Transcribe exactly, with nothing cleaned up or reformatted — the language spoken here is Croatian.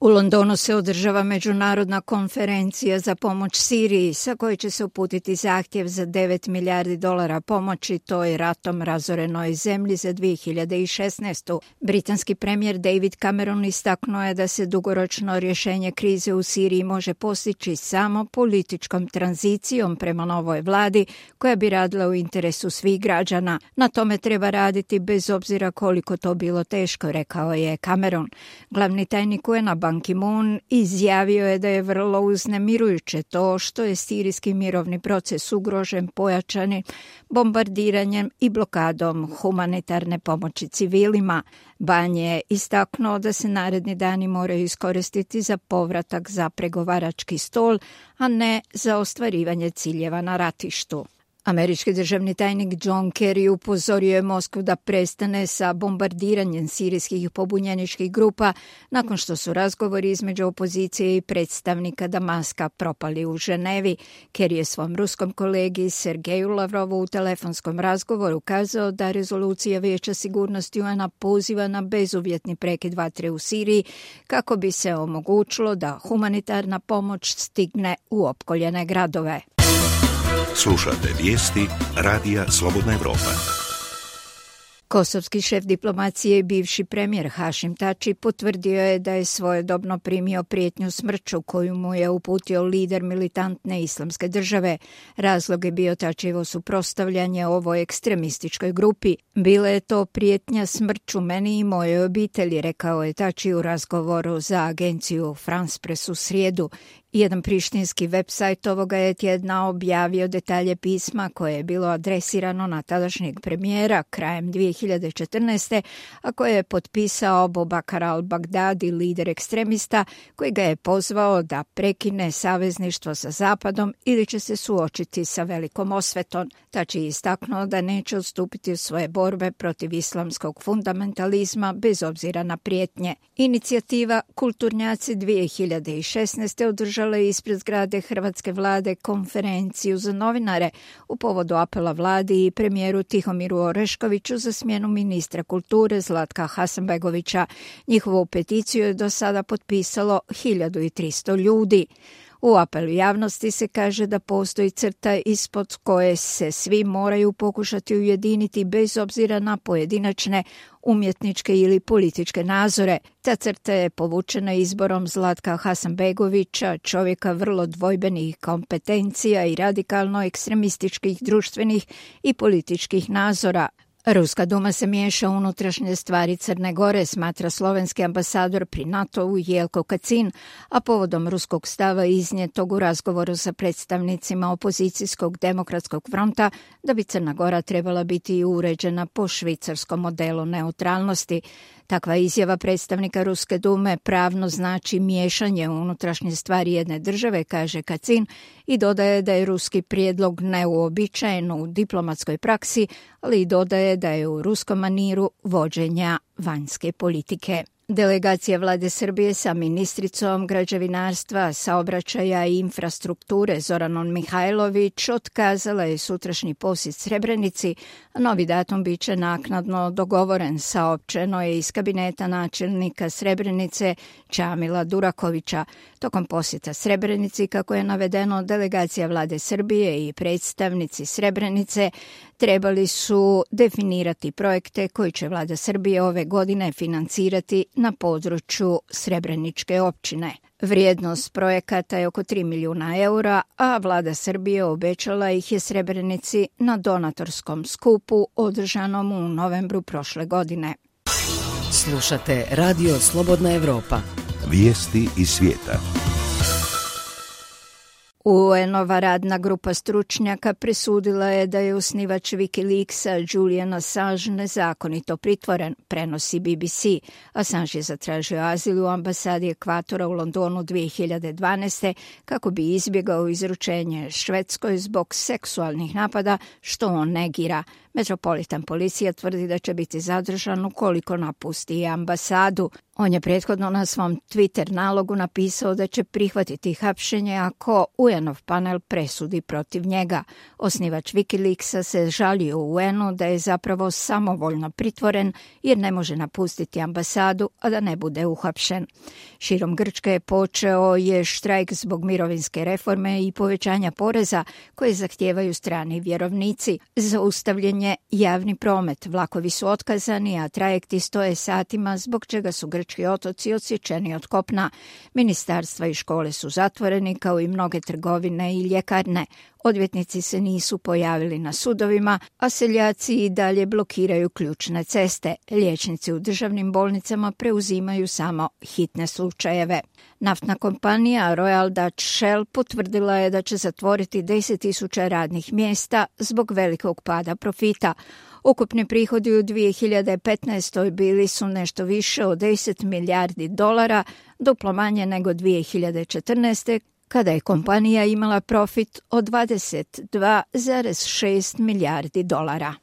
U Londonu se održava međunarodna konferencija za pomoć Siriji, sa koje će se uputiti zahtjev za devet milijardi dolara pomoći toj ratom razorenoj zemlji za dvije hiljade šesnaestu. Britanski premijer David Cameron istaknuo je da se dugoročno rješenje krize u Siriji može postići samo političkom tranzicijom prema novoj vladi koja bi radila u interesu svih građana. Na tome treba raditi bez obzira koliko to bilo teško, rekao je Cameron. Glavni tajnik U N A Ban Ki-moon izjavio je da je vrlo uznemirujuće to što je sirijski mirovni proces ugrožen pojačanim bombardiranjem i blokadom humanitarne pomoći civilima. Ban je istaknuo da se naredni dani moraju iskoristiti za povratak za pregovarački stol, a ne za ostvarivanje ciljeva na ratištu. Američki državni tajnik John Kerry upozorio je Moskvu da prestane sa bombardiranjem sirijskih pobunjeničkih grupa nakon što su razgovori između opozicije i predstavnika Damaska propali u Ženevi. Kerry je svom ruskom kolegi Sergeju Lavrovu u telefonskom razgovoru kazao da rezolucija Vijeća sigurnosti U N A poziva na bezuvjetni prekid vatre u Siriji kako bi se omogućilo da humanitarna pomoć stigne u opkoljene gradove. Slušate vijesti Radija Slobodna Evropa. Kosovski šef diplomacije i bivši premijer Hašim Tači potvrdio je da je svojedobno primio prijetnju smrću koju mu je uputio lider militantne islamske države. Razlog je bio Tačijevo suprotstavljanje ovoj ekstremističkoj grupi. Bila je to prijetnja smrću meni i mojoj obitelji, rekao je Tači u razgovoru za agenciju France Press u srijedu. Jedan prištinski websajt ovoga je tjedna objavio detalje pisma koje je bilo adresirano na tadašnjeg premijera krajem dvije hiljade četrnaeste. a koje je potpisao Bobakar al-Baghdadi, lider ekstremista, koji ga je pozvao da prekine savezništvo sa Zapadom ili će se suočiti sa velikom osvetom. Tači je istaknuo da neće odstupiti u svoje borbe protiv islamskog fundamentalizma bez obzira na prijetnje. Inicijativa Kulturnjaci dvije hiljade šesnaeste. održala je ispred zgrade hrvatske vlade konferenciju za novinare u povodu apela vladi i premijeru Tihomiru Oreškoviću za smjenu ministra kulture Zlatka Hasanbegovića. Njihovu peticiju je do sada potpisalo hiljadu tristo ljudi. U apelu javnosti se kaže da postoji crta ispod koje se svi moraju pokušati ujediniti bez obzira na pojedinačne umjetničke ili političke nazore. Ta crta je povučena izborom Zlatka Hasanbegovića, čovjeka vrlo dvojbenih kompetencija i radikalno ekstremističkih društvenih i političkih nazora. Ruska duma se miješa u unutrašnje stvari Crne Gore, smatra slovenski ambasador pri NATO-u Jelko Kacin, a povodom ruskog stava iznijetog u razgovoru sa predstavnicima opozicijskog demokratskog fronta da bi Crna Gora trebala biti uređena po švicarskom modelu neutralnosti. Takva izjava predstavnika Ruske dume pravno znači miješanje u unutrašnje stvari jedne države, kaže Kacin, i dodaje da je ruski prijedlog neuobičajen u diplomatskoj praksi, ali i dodaje da je u ruskom maniru vođenja vanjske politike. Delegacija vlade Srbije sa ministricom građevinarstva, saobraćaja i infrastrukture Zoranom Mihajlović otkazala je sutrašnji posjet Srebrenici, a novi datum bit će naknadno dogovoren, saopćeno je iz kabineta načelnika Srebrenice Čamila Durakovića. Tokom posjeta Srebrenici, kako je navedeno, delegacija vlade Srbije i predstavnici Srebrenice trebali su definirati projekte koji će vlada Srbije ove godine financirati na području Srebreničke općine. Vrijednost projekata je oko tri milijuna eura, a vlada Srbije obećala ih je Srebrenici na donatorskom skupu održanom u novembru prošle godine. Slušate Radio Slobodna Evropa. Vijesti iz svijeta. U N-ova radna grupa stručnjaka presudila je da je osnivač Wikileaksa Julian Assange nezakonito pritvoren, prenosi B B C. Assange je zatražio azil u ambasadi Ekvatora u Londonu dvije hiljade dvanaeste. kako bi izbjegao izručenje Švedskoj zbog seksualnih napada, što on negira. Metropolitan policija tvrdi da će biti zadržan ukoliko napusti ambasadu. On je prethodno na svom Twitter nalogu napisao da će prihvatiti hapšenje ako U N-ov panel presudi protiv njega. Osnivač Wikileaksa se žalio U N-u da je zapravo samovoljno pritvoren jer ne može napustiti ambasadu, a da ne bude uhapšen. Širom Grčke je počeo je štrajk zbog mirovinske reforme i povećanja poreza koje zahtijevaju strani vjerovnici. Zaustavljen je javni promet, vlakovi su otkazani, a trajekti stoje satima zbog čega su grčki otoci odsječeni od kopna. Ministarstva i škole su zatvoreni kao i mnoge trgovine i ljekarne. Odvjetnici se nisu pojavili na sudovima, a seljaci i dalje blokiraju ključne ceste. Liječnici u državnim bolnicama preuzimaju samo hitne slučajeve. Naftna kompanija Royal Dutch Shell potvrdila je da će zatvoriti deset tisuća radnih mjesta zbog velikog pada profita. Ukupni prihodi u dvije hiljade petnaestoj bili su nešto više od deset milijardi dolara, duplo manje nego dvije hiljade četrnaeste kada je kompanija imala profit od dvadeset dva zarez šest milijardi dolara.